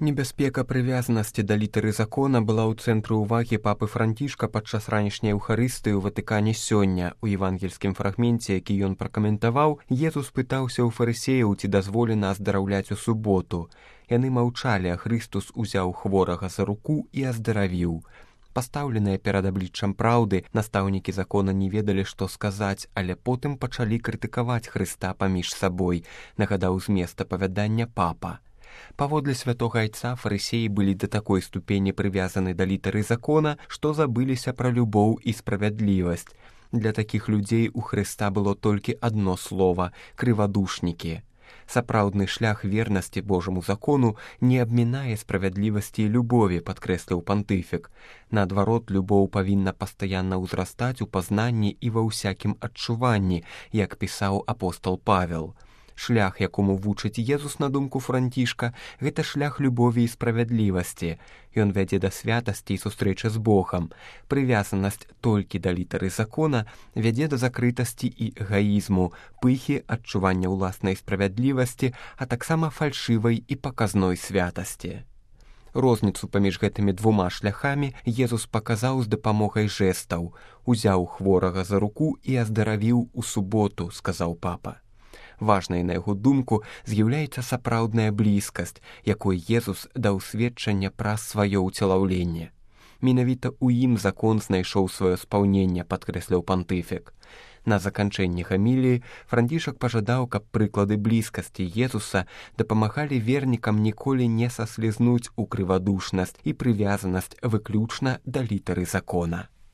Небяспека прывязанасці да літары закона была ў цэнтры ўвагі папы Францішка падчас ранішняй Еўхарыстыі ў Ватыкане сёння. У евангельскім фрагменце, які ён пракаментаваў, Езус пытаўся ў фарысеяў, ці дазволена аздараўляць у суботу. Яны маўчалі, а Хрыстус узяў хворага за руку і аздаравіў. Пастаўленыя перад абліччам праўды, настаўнікі закона не ведалі, што сказаць, але потым пачалі крытыкаваць Хрыста паміж сабой, нагадаў змест апавядання папа. Паводле святога айца фарысеі былі да такой ступені прывязаны да літары закона, што забыліся пра любоў і справядлівасць. Для такіх людзей у Хрыста было толькі адно слова – крывадушнікі. Сапраўдны шлях вернасці Божаму закону не абмінае справядлівасці і любові, падкрэсліў пантыфік. Наадварот, любоў павінна пастаянна ўзрастаць у пазнанні і ва ўсякім адчуванні, як пісаў апостол Павел. Шлях, якому вучыць Езус, на думку Францішка, гэта шлях любові і справядлівасці. Ён вядзе да святасці і сустрэчы з Богам. Прывязанасць толькі да літары закона вядзе да закрытасці і эгаізму, пыхі, адчування ўласнай справядлівасці, а таксама фальшывай і паказной святасці. Розніцу паміж гэтымі двума шляхамі Езус паказаў з дапамогай жэстаў. Узяў хворага за руку і аздаравіў у суботу, сказаў папа. Важнай, на яго думку, з'яўляецца сапраўдная блізкасць, якой Езус даў сведчанне праз сваё ўцелаўленне. Менавіта ў ім закон знайшоў сваё спаўненне, падкрэсліў пантыфік. На заканчэнні гаміліі Францішак пажадаў, каб прыклады блізкасці Езуса дапамагалі вернікам ніколі не саслізнуць у крывадушнасць і прывязанасць выключна да літары закона.